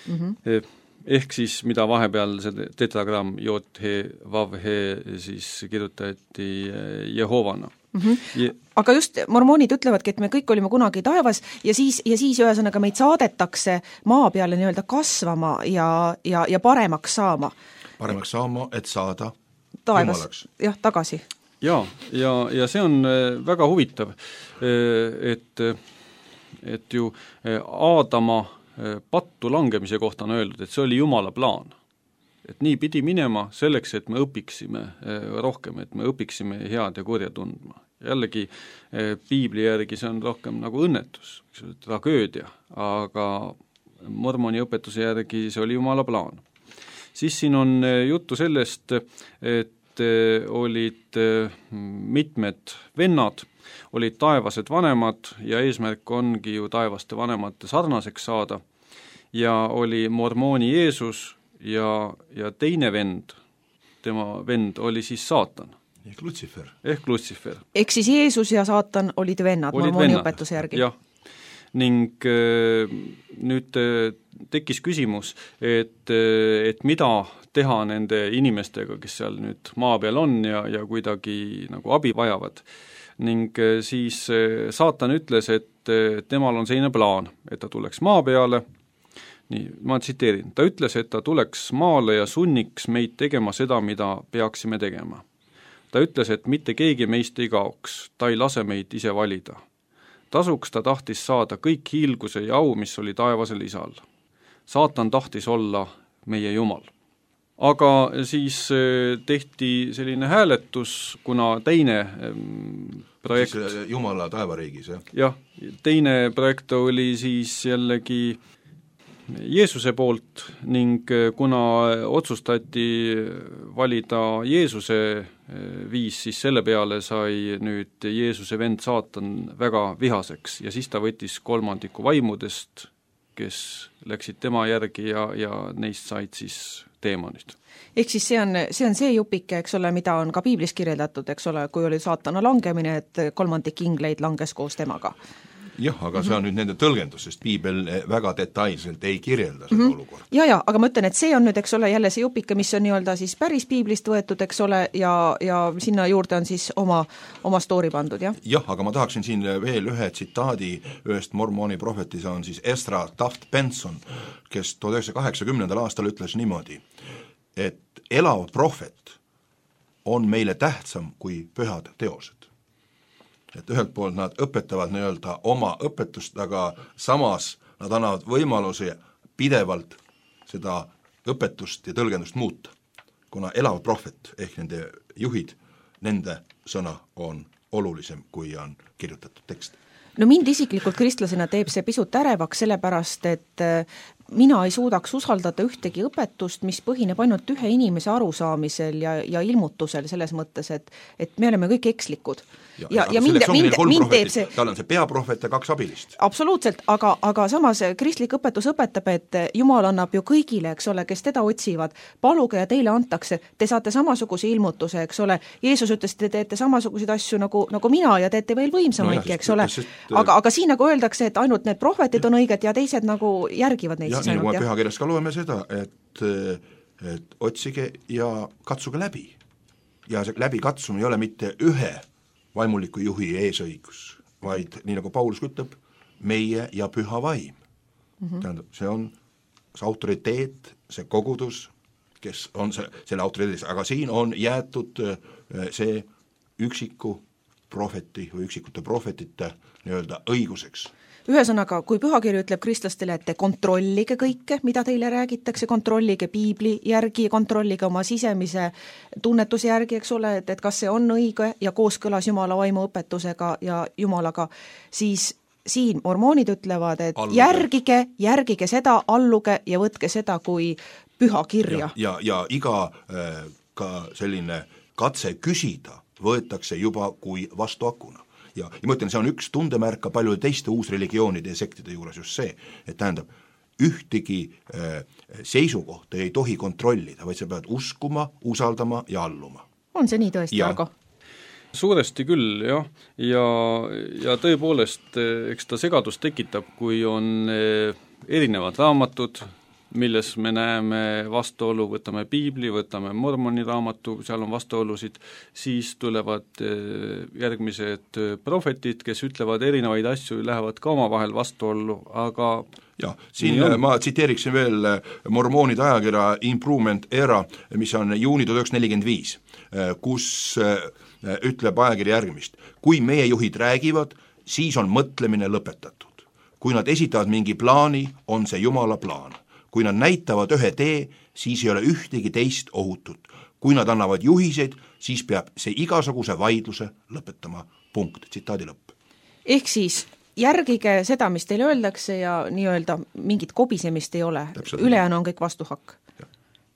Mm-hmm. Ehk siis, mida vahepeal see tetragramm Jot-he, Vav-he siis kirjutati Jehovana. Mm-hmm. Ja, aga just mormoonid ütlevadki, et me kõik olime kunagi taevas ja siis, ja siis ühesõnaga meid saadetakse maa peale nii-öelda kasvama ja, ja, ja paremaks saama. Paremaks saama, et saada taevas, jumalaks. Jah, tagasi. Ja, ja, ja see on väga huvitav, et, et ju Aadama pattu langemise kohta on öeldud, et see oli Jumala plaan. Et nii pidi minema selleks, et me õpiksime rohkem, et me õpiksime head ja kurja tundma. Jällegi piibli järgi see on rohkem nagu õnnetus, tragöödia, aga mormoni õpetuse järgi see oli Jumala plaan. Siis siin on juttu sellest, et olid mitmed vennad, olid taevased vanemad ja eesmärk ongi ju taevaste vanemate sarnaseks saada ja oli mormooni Jeesus ja, ja teine vend, tema vend oli siis saatan. Ehk Lutsifer. Ehk Lutsifer. Ehk siis Jeesus ja saatan olid vennad olid mormooni vennad. Õpetuse järgi. Jah, ning äh, nüüd äh, tekkis küsimus, et, äh, et mida teha nende inimestega, kes seal nüüd maa peal on ja, ja kuidagi nagu abi vajavad. Ning äh, siis äh, saatan ütles, et äh, temal on selline plaan, et ta tuleks maa peale. Nii, ma tsiteerin, ta ütles, et ta tuleks maale ja sunniks meid tegema seda, mida peaksime tegema. Ta ütles, et mitte keegi meist ei kaoks, ta ei lase meid ise valida. Tasuks ta tahtis saada kõik hiilguse ja au, mis oli taevasel isal. Saatan tahtis olla meie Jumal. Aga siis tehti selline hääletus, kuna teine projekt... Siis Jumala taevariigis, jah? Jah, teine projekt oli siis jällegi Jeesuse poolt ning kuna otsustati valida Jeesuse viis, siis selle peale sai nüüd Jeesuse vend saatan väga vihaseks ja siis ta võttis kolmandiku vaimudest, kes läksid tema järgi ja, ja neist said siis teemonid. Ehk siis see on, see on see jupike, eks ole, mida on ka piiblis kirjeldatud, eks ole, kui oli saatana langemine, et kolmandik ingleid langes koos temaga. Jah, aga see on nüüd nende tõlgendus, sest piibel väga detailselt ei kirjelda seda mm-hmm. olukorda. Ja, ja, aga ma ütlen, et see on nüüd, eks ole, jälle see jupike, mis on nii-öelda siis päris piiblist võetud, eks ole, ja, ja sinna juurde on siis oma, oma story pandud, jah? Jah, aga ma tahaksin siin veel ühe tsitaadi ühest mormooni prohvetis on siis Ezra Taft Benson, kes tuhat üheksasaja kaheksakümnendal aastal ütles niimoodi, et elav prohvet on meile tähtsam kui pühad teosed. Et ühelt poolt nad õpetavad nii-öelda oma õpetust, aga samas nad annavad võimaluse pidevalt seda õpetust ja tõlgendust muuta, kuna elav prohvet ehk nende juhid, nende sõna on olulisem, kui on kirjutatud tekst. No mind isiklikult kristlasena teeb see pisut ärevaks, sellepärast, et mina ei suudaks usaldada ühtegi õpetust, mis põhineb ainult ühe inimese arusaamisel ja, ja ilmutusel selles mõttes, et, et me oleme kõik ekslikud. ja, ja, ja mind, mind, mind teeb see tal on see peaprohvet ja kaks abilist. Absoluutselt, aga, aga samas kristlik õpetus õpetab, et Jumal annab ju kõigile, eks ole, kes teda otsivad, paluge ja teile antakse, te saate samasuguse ilmutuse, eks ole, Jeesus ütles, te teete samasuguseid asju nagu, nagu mina ja teete veel võimsamaidki no, eks ole, aga, aga siin nagu öeldakse, et ainult need prohvetid on õiged ja teised nagu järgivad neid. ja nii nagu me pühakirjas ka loeme seda, et, et otsige ja katsuge läbi. Ja see läbi katsumine ei ole mitte ühe vaimuliku juhi eesõigus, vaid nii nagu Paulus ütleb, meie ja püha vaim. Mm-hmm. Tähendab, see on see autoriteet, see kogudus, kes on see, selle autoriteedis, aga siin on jäetud see üksiku prohveti või üksikute prohvetite nii-öelda õiguseks. Ühesõnaga, kui pühakiri ütleb kristlastele, et te kontrollige kõike, mida teile räägitakse, kontrollige piibli järgi, kontrollige oma sisemise tunnetuse järgi, eks ole, et, et kas see on õige ja kooskõlas Jumala vaimu õpetusega ja Jumalaga, siis siin mormoonid ütlevad, et alluge. järgige, järgige seda, alluge ja võtke seda kui püha kirja. Ja, ja, ja iga äh, ka selline katse küsida võetakse juba kui vastuakuna. Ja, ja ma ütlen, see on üks tundemärk ka paljude teiste uusreligioonide ja sektide juures just see, et tähendab, ühtegi äh, seisukohta ei tohi kontrollida, vaid sa pead uskuma, usaldama ja alluma. On see nii tõesti, Argo? Suuresti küll, jah, ja, ja tõepoolest, eks ta segadust tekitab, kui on erinevad raamatud, milles me näeme vastuolu, võtame piibli, võtame mormoni raamatu, seal on vastuolusid, siis tulevad järgmised prohvetid, kes ütlevad erinevaid asju, lähevad ka omavahel vastuollu, aga jah, siin ma tsiteeriksin veel mormoonide ajakirja Improvement Era, mis on juuni tuhat üheksasada nelikümmend viis, kus ütleb ajakiri järgmist. Kui meie juhid räägivad, siis on mõtlemine lõpetatud. Kui nad esitavad mingi plaani, on see Jumala plaan. Kui nad näitavad ühe tee, siis ei ole ühtegi teist ohutut. Kui nad annavad juhiseid, siis peab see igasuguse vaidluse lõpetama. Punkt, tsitaadi lõpp. Ehk siis järgige seda, mis teile öeldakse ja nii-öelda mingit kobisemist ei ole. Ülejäänu on kõik vastuhakk.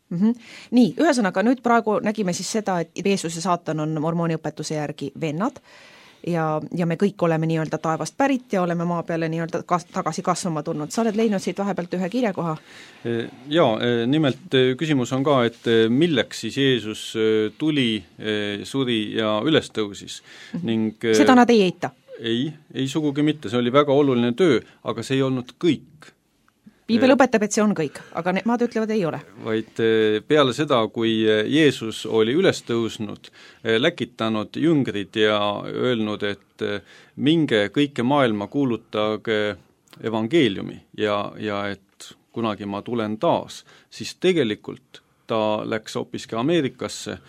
Mm-hmm. Nii, ühesõnaga nüüd praegu nägime siis seda, et Jeesus ja Saatan on mormooni õpetuse järgi vennad ja, ja me kõik oleme nii-öelda taevast pärit ja oleme maa peale nii-öelda kas, tagasi kasvama tulnud. Sa oled leidnud siit vahepealt ühe kirjakoha? Jaa, nimelt küsimus on ka, et milleks siis Jeesus tuli, suri ja üles tõusis. Mm-hmm. Ning, seda nad ei eita? Ei, ei sugugi mitte, see oli väga oluline töö, aga see ei olnud kõik. Piibel õpetab, et see on kõik, aga nemad ütlevad ei ole. Vaid peale seda, kui Jeesus oli üles tõusnud, läkitanud jüngrid ja öelnud, et minge kõike maailma kuulutage evangeeliumi ja, ja et kunagi ma tulen taas, siis tegelikult ta läks hoopiski Ameerikasse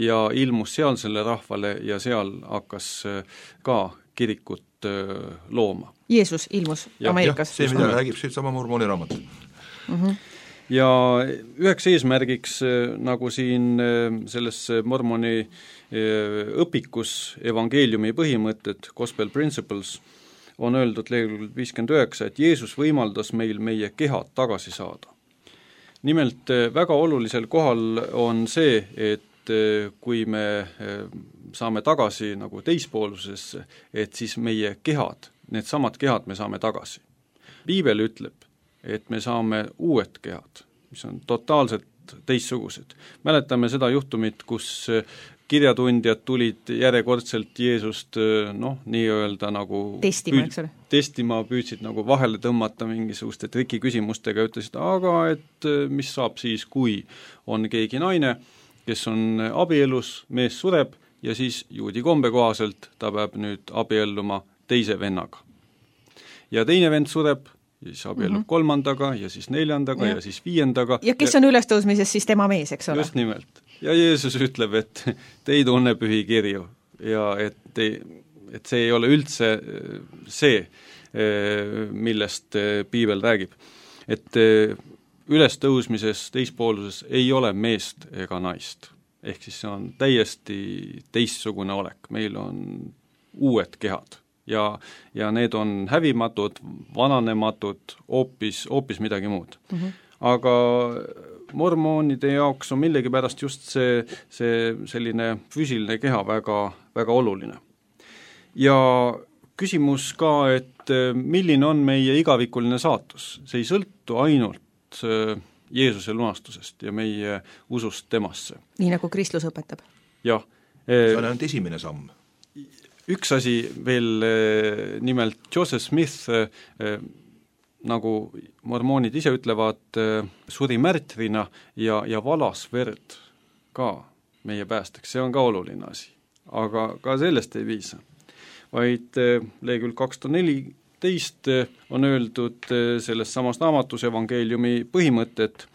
ja ilmus sealsele rahvale ja seal hakkas ka kirikut looma. Jeesus ilmus ja, Ameerikas. See, mida räägib siit sama mormooni raamat. Mm-hmm. Ja üheks eesmärgiks, nagu siin selles mormoni õpikus evangeeliumi põhimõtted, Gospel Principles, on öeldud leheküljel viiskümmend üheksa, et Jeesus võimaldas meil meie kehad tagasi saada. Nimelt väga olulisel kohal on see, et kui me saame tagasi nagu teispoolsusesse, et siis meie kehad, need samad kehad me saame tagasi. Piibel ütleb, et me saame uued kehad, mis on totaalselt teistsugused. Mäletame seda juhtumit, kus kirjatundjad tulid järjekordselt Jeesust noh, nii-öelda nagu testima, püüd, eks ole? Testima püüdsid nagu vahele tõmmata mingisuguste trikiküsimustega, ütlesid, aga et mis saab siis, kui on keegi naine, kes on abielus, mees sureb ja siis juudi kombe kohaselt ta peab nüüd abielluma teise vennaga. Ja teine vend sureb, ja siis abiellub mm-hmm. kolmandaga ja siis neljandaga ja, ja siis viiendaga. Ja kes on ülestõusmises, siis tema mees, eks ole? Just nimelt. Ja Jeesus ütleb, et te ei tunne pühi kirju ja et, te, et see ei ole üldse see, millest piibel räägib. Et ülestõusmises, teispooluses ei ole meest ega naist. Ehk siis see on täiesti teistsugune olek. Meil on uued kehad. ja, ja need on hävimatud, vananematud, hoopis, hoopis midagi muud mm. -hmm. Aga mormoonide jaoks on millegipärast just see, see selline füüsiline keha väga, väga oluline. Ja küsimus ka, et milline on meie igavikuline saatus, see ei sõltu ainult Jeesuse lunastusest ja meie usust temasse. Nii nagu kristlus õpetab. Jah. See on ainult esimene samm. Üks asi veel, nimelt Joseph Smith, nagu mormoonid ise ütlevad, suri märtrina ja, ja valas verd ka meie päästeks, see on ka oluline asi. Aga ka sellest ei viisa. Vaid lehekülg kakssada neliteist on öeldud selles samas raamatus evangeeliumi põhimõtted,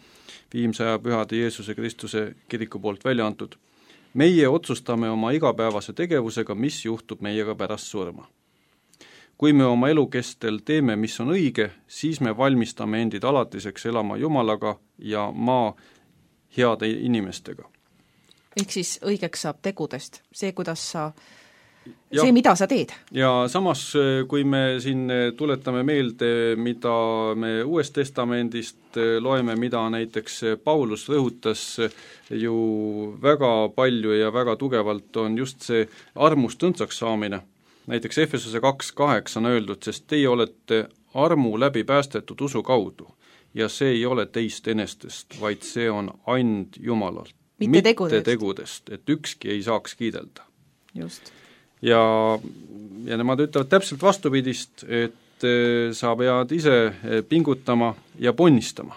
viimsaja pühade Jeesuse Kristuse kiriku poolt välja antud. Meie otsustame oma igapäevase tegevusega, mis juhtub meiega pärast surma. Kui me oma elu kestel teeme, mis on õige, siis me valmistame endid alatiseks elama Jumalaga ja maa heade inimestega. Ehk siis õigeks saab tegudest, see, kuidas sa, ja, see, mida sa teed. Ja samas, kui me siin tuletame meelde, mida me Uuest Testamendist loeme, mida näiteks Paulus rõhutas ju väga palju ja väga tugevalt, on just see armust õndsaks saamine. Näiteks Efesuse kaks kaheksa on öeldud, sest teie olete armu läbi päästetud usu kaudu ja see ei ole teist enestest, vaid see on and Jumalalt. Mitte, mitte tegudest. tegudest, et ükski ei saaks kiidelda. Just. Ja, ja nemad ütlevad täpselt vastupidist, et sa pead ise pingutama ja ponnistama.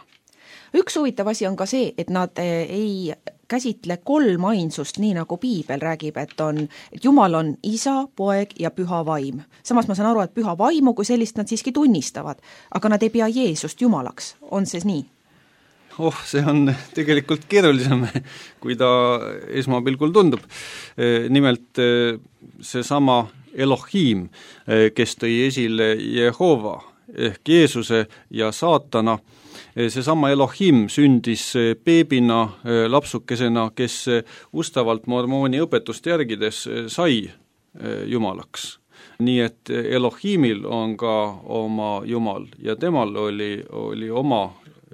Üks huvitav asi on ka see, et nad ei käsitle kolm ainsust, nii nagu Piibel räägib, et on, et Jumal on isa, poeg ja püha vaim. Samas ma saan aru, et püha vaimu kui sellist nad siiski tunnistavad, aga nad ei pea Jeesust Jumalaks. On see nii? Oh, see on tegelikult keerulisem, kui ta esmapilgul tundub. Nimelt seesama Elohim, kes tõi esile Jehova ehk Jeesuse ja saatana, seesama Elohim sündis beebina, lapsukesena, kes ustavalt mormooni õpetust järgides sai Jumalaks. Nii et Elohimil on ka oma Jumal ja temal oli, oli oma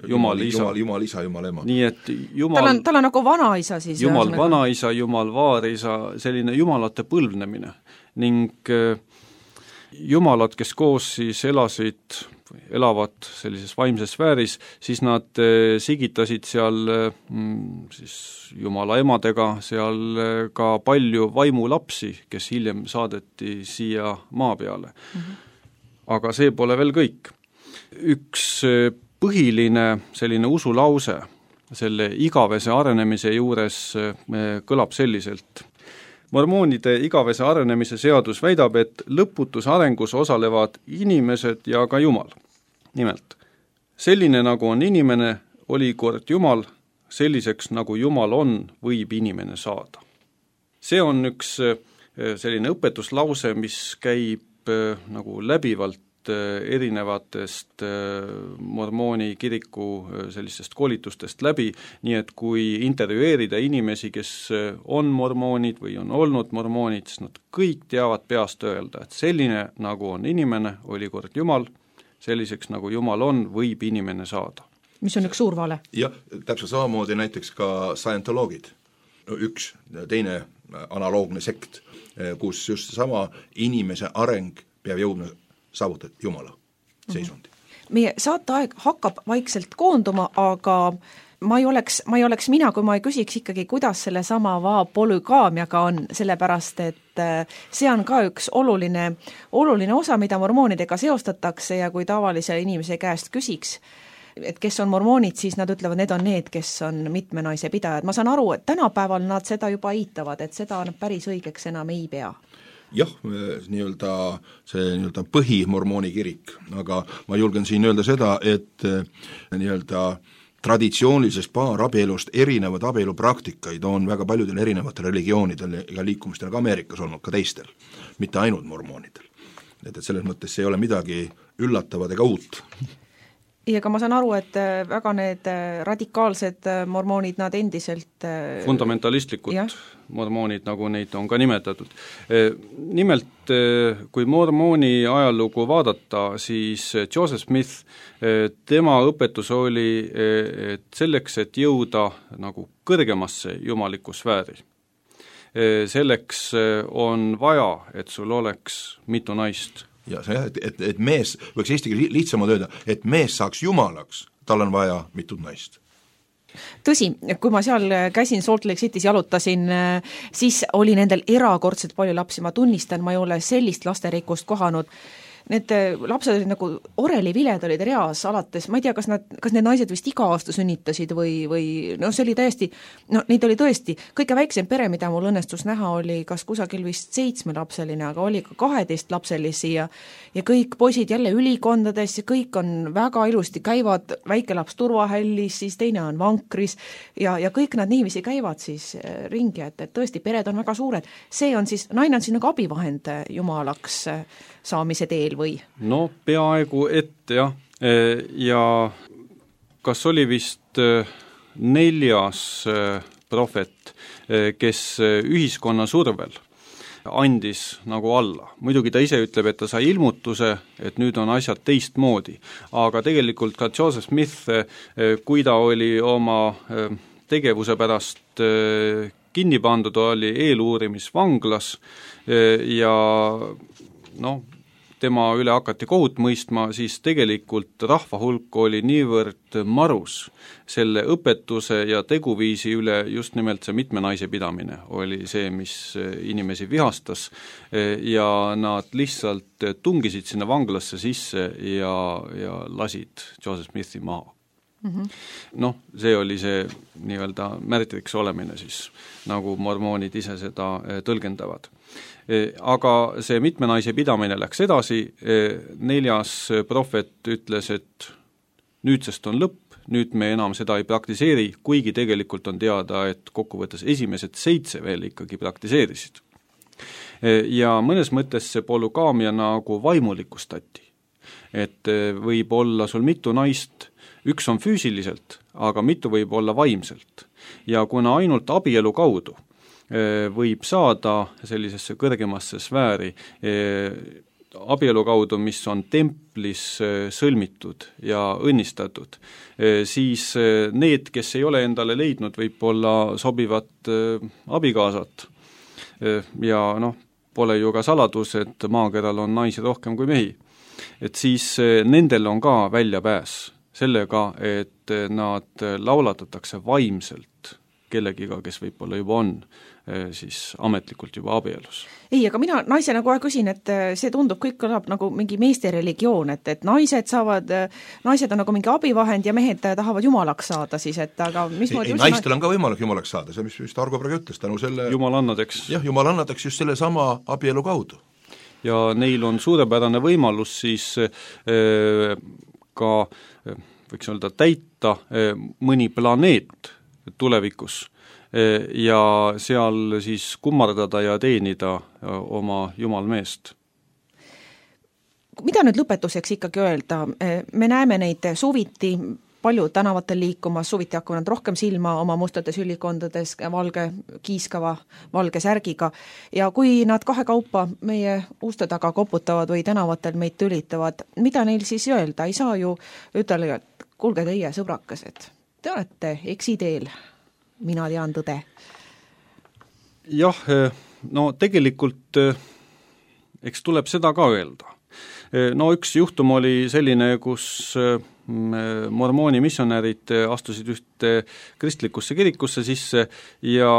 Jumal, Jumal isa. Jumal, Jumal isa, Jumal ema. Nii et Jumal, tal, on, tal on nagu vanaisa siis. Jumal vanaisa, Jumal vaarisa, selline jumalate põlvnemine. Ning jumalad, kes koos siis elasid, elavad sellises vaimses sfääris, siis nad sigitasid seal siis Jumala emadega seal ka palju vaimulapsi, kes hiljem saadeti siia maa peale. Mm-hmm. Aga see pole veel kõik. Üks põhiline selline usulause selle igavese arenemise juures kõlab selliselt. Mormoonide igavese arenemise seadus väidab, et lõputus arengus osalevad inimesed ja ka Jumal. Nimelt, selline nagu on inimene, oli kord Jumal, selliseks nagu Jumal on, võib inimene saada. See on üks selline õpetuslause, mis käib nagu läbivalt erinevatest mormooni kiriku sellistest koolitustest läbi, nii et kui intervjueerida inimesi, kes on mormoonid või on olnud mormoonid, siis nad kõik teavad peast öelda, et selline nagu on inimene, oli kord Jumal, selliseks nagu Jumal on, võib inimene saada. Mis on üks suur vale? Jah, täpselt samamoodi näiteks ka scientoloogid, üks teine analoogne sekt, kus just sama inimese areng peab jõudma saavutada Jumala seisundi. Meie saateaeg hakkab vaikselt koonduma, aga ma ei oleks, ma ei oleks mina, kui ma ei küsiks ikkagi, kuidas selle sama polügaamiaga on, sellepärast, et see on ka üks oluline, oluline osa, mida mormoonidega seostatakse ja kui tavalise inimese käest küsiks, et kes on mormoonid, siis nad ütlevad, need on need, kes on mitme naise pidajad. Ma saan aru, et tänapäeval nad seda juba eitavad, et seda päris õigeks enam ei pea. Jah, nii-öelda see nii-öelda põhimormooni kirik, aga ma julgen siin öelda seda, et nii-öelda traditsioonilisest paarabielust erinevad abielupraktikaid on väga paljudel erinevatel religioonidel ja liikumistel ka Ameerikas olnud, ka teistel, mitte ainult mormoonidel. Et, et selles mõttes see ei ole midagi üllatavat ega uut. ja ka ma saan aru, et väga need radikaalsed mormoonid, nad endiselt fundamentalistlikud jah. mormoonid, nagu neid on ka nimetatud. Nimelt, kui mormooni ajalugu vaadata, siis Joseph Smith, tema õpetus oli, et selleks, et jõuda nagu kõrgemasse jumaliku sfääri, selleks on vaja, et sul oleks mitu naist. ja see, et, et, et mees, võiks eesti keeles lihtsamalt öelda, et mees saaks jumalaks, tal on vaja mitut naist. Tõsi, kui ma seal käisin Salt Lake City's jalutasin, siis oli nendel erakordselt palju lapsi, ma tunnistan, ma ei ole sellist lasterikkust kohanud. Need lapsed olid nagu oreliviled olid reas alates, ma ei tea, kas nad, kas need naised vist iga aasta sünnitasid või, või no see oli täiesti, no neid oli tõesti, kõige väiksem pere, mida mul õnnestus näha, oli kas kusagil vist seitsmelapseline, aga oli ka kaheteist lapselisi ja ja kõik poisid jälle ülikondades ja kõik on väga ilusti, käivad väike laps turvahällis, siis teine on vankris ja, ja kõik nad niiviisi käivad siis ringi, et, et tõesti, pered on väga suured. See on siis, naine on siin nagu abivahend jumalaks saamise teel või? No peaaegu ette jah, ja kas oli vist neljas prohvet, kes ühiskonna survel andis nagu alla. Muidugi ta ise ütleb, et ta sai ilmutuse, et nüüd on asjad teistmoodi, aga tegelikult ka Joseph Smith, kui ta oli oma tegevuse pärast kinni pandud, oli eeluurimisvanglas ja noh, tema üle hakati kohut mõistma, siis tegelikult rahva hulk oli niivõrd marus selle õpetuse ja teguviisi üle, just nimelt see mitme naise pidamine oli see, mis inimesi vihastas ja nad lihtsalt tungisid sinna vanglasse sisse ja, ja lasid Joseph Smithi maha. Mm-hmm. Noh, see oli see nii-öelda märtriks olemine siis, nagu mormoonid ise seda tõlgendavad. Aga see mitme naise pidamine läks edasi, neljas prohvet ütles, et nüüdsest on lõpp, nüüd me enam seda ei praktiseeri, kuigi tegelikult on teada, et kokkuvõttes esimesed seitse veel ikkagi praktiseerisid. Ja mõnes mõttes see polügaamia nagu vaimulikustati, et võib olla sul mitu naist, üks on füüsiliselt, aga mitu võib olla vaimselt. Ja kuna ainult abielu kaudu võib saada sellisesse kõrgemasse sfääri abielu kaudu, mis on templis sõlmitud ja õnnistatud, siis need, kes ei ole endale leidnud võib-olla sobivat abikaasat ja noh, pole ju ka saladus, et maakeral on naisi rohkem kui mehi, et siis nendel on ka väljapääs sellega, et nad laulatatakse vaimselt kellegiga, kes võib-olla juba on siis ametlikult juba abielus. Ei, aga mina naisena kohe küsin, et see tundub kõik kõlab nagu mingi meeste religioon, et, et naised saavad, naised on nagu mingi abivahend ja mehed tahavad jumalaks saada siis, et aga mis ei, ei, naistel on ka võimalik jumalaks saada, see mis vist Argo praegu ütles, tänu selle jumalannadeks. Jah, jumalannadeks just selle sama abielu kaudu. Ja neil on suurepärane võimalus siis äh, ka, võiks öelda, täita äh, mõni planeet tulevikus ja seal siis kummardada ja teenida oma jumalmeest. Mida nüüd lõpetuseks ikkagi öelda? Me näeme neid suviti palju tänavatel liikumas, suviti hakkavad rohkem silma oma mustades ülikondades, valge kiiskava, valge särgiga ja kui nad kahe kaupa meie uste taga koputavad või tänavatel meid tülitavad, mida neil siis öelda? Ei saa ju ütelda, et kuulge teie sõbrakesed, te olete eksiteel. Mina tean tõde. Jah, no tegelikult eks tuleb seda ka öelda. No üks juhtum oli selline, kus mormooni missionärid astusid ühte kristlikusse kirikusse sisse ja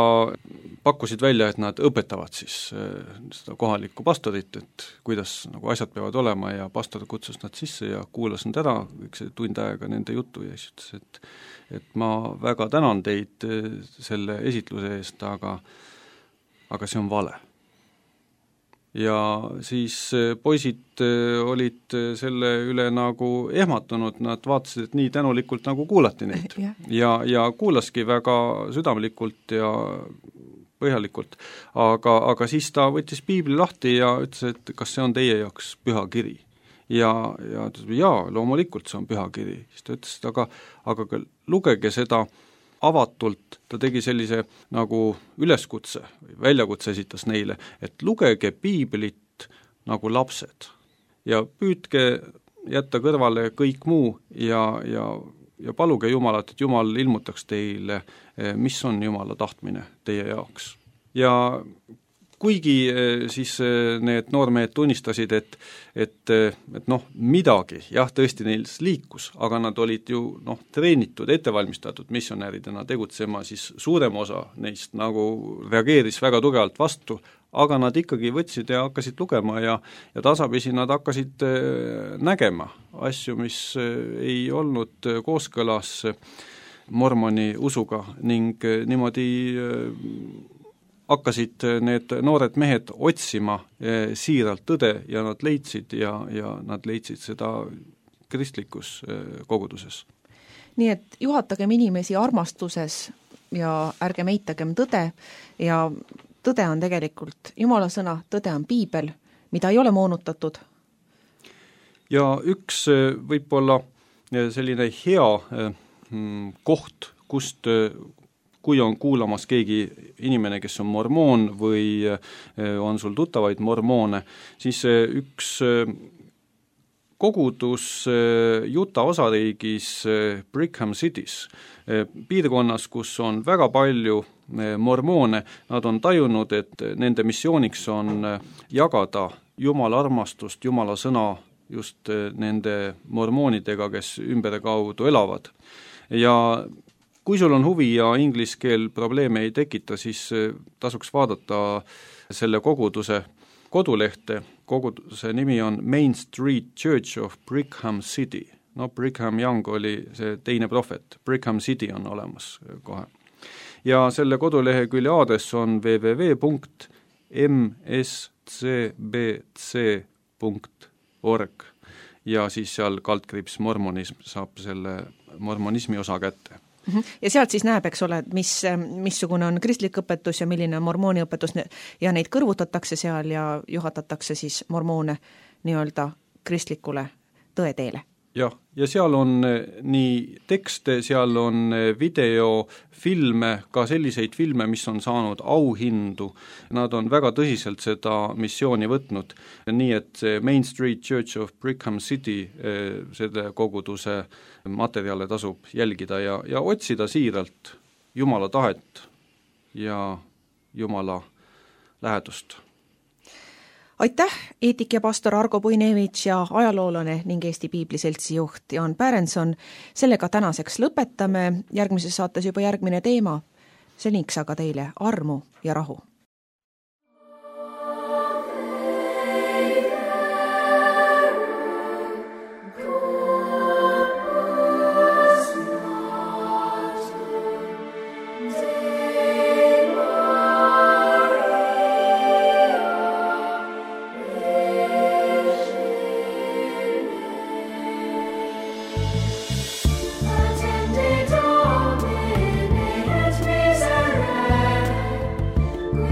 pakkusid välja, et nad õpetavad siis seda kohalikku pastorit, et kuidas nagu asjad peavad olema ja pastor kutsus nad sisse ja kuulas nad ära üks tund aega nende juttu ja siis ütles, et et ma väga tänan teid selle esitluse eest, aga, aga see on vale. Ja siis poisid olid selle üle nagu ehmatunud, nad vaatasid, et nii tänulikult nagu kuulati neid ja, ja, ja kuulaski väga südamlikult ja põhjalikult, aga, aga siis ta võttis piibli lahti ja ütles, et kas see on teie jaoks püha kiri. ja, ja ta ütles, jaa, loomulikult see on pühakiri. Siis ta ütles, aga, aga lugege seda avatult, ta tegi sellise nagu üleskutse, väljakutse esitas neile, et lugege piiblit nagu lapsed ja püüdke jätta kõrvale kõik muu ja, ja, ja paluge Jumalat, et Jumal ilmutaks teile, mis on Jumala tahtmine teie jaoks. Ja kuigi siis need noormehed tunnistasid, et, et, et noh, midagi, jah, tõesti neil liikus, aga nad olid ju noh, treenitud, ettevalmistatud missionääridena tegutsema, siis suurem osa neist nagu reageeris väga tugevalt vastu, aga nad ikkagi võtsid ja hakkasid lugema ja, ja tasapisi nad hakkasid nägema asju, mis ei olnud kooskõlas mormoni usuga ning niimoodi hakkasid need noored mehed otsima siiralt tõde ja nad leidsid ja, ja nad leidsid seda kristlikus koguduses. Nii et juhatagem inimesi armastuses ja ärgem eitagem tõde ja tõde on tegelikult Jumala sõna, tõde on piibel, mida ei ole moonutatud. Ja üks võib-olla selline hea koht, kust kui on kuulamas keegi inimene, kes on mormoon või on sul tuttavaid mormoone, siis üks kogudus Utah osariigis Brigham City's, piirkonnas, kus on väga palju mormoone, nad on tajunud, et nende missiooniks on jagada Jumala armastust, Jumala sõna just nende mormoonidega, kes ümber kaudu elavad. Ja kui sul on huvi ja inglise keel probleeme ei tekita, siis tasuks vaadata selle koguduse kodulehte. Koguduse nimi on Main Street Church of Brigham City. No Brigham Young oli see teine prohvet. Brigham City on olemas kohe. Ja selle kodulehe külje aadress on w w w punkt m s c b c punkt org ja siis seal kaldkriips mormonism saab selle mormonismi osa kätte. Ja sealt siis näeb, eks ole, mis, missugune on kristlik õpetus ja milline on mormooni õpetus ja neid kõrvutatakse seal ja juhatatakse siis mormoone nii-öelda kristlikule tõeteele. Jah, ja seal on nii tekste, seal on videofilme, ka selliseid filme, mis on saanud auhindu. Nad on väga tõsiselt seda missiooni võtnud, nii et see Main Street Church of Brigham City, selle koguduse materjale tasub jälgida ja, ja otsida siiralt Jumala tahet ja Jumala lähedust. Aitäh, eetik ja pastor Argo Puinevitš ja ajaloolane ning Eesti Piibliseltsi juht Jaan Pärenson. Sellega tänaseks lõpetame, järgmises saates juba järgmine teema. Seniks aga teile armu ja rahu. We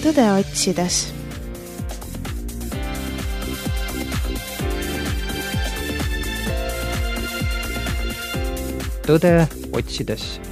tõde otsides. Tõde otsides.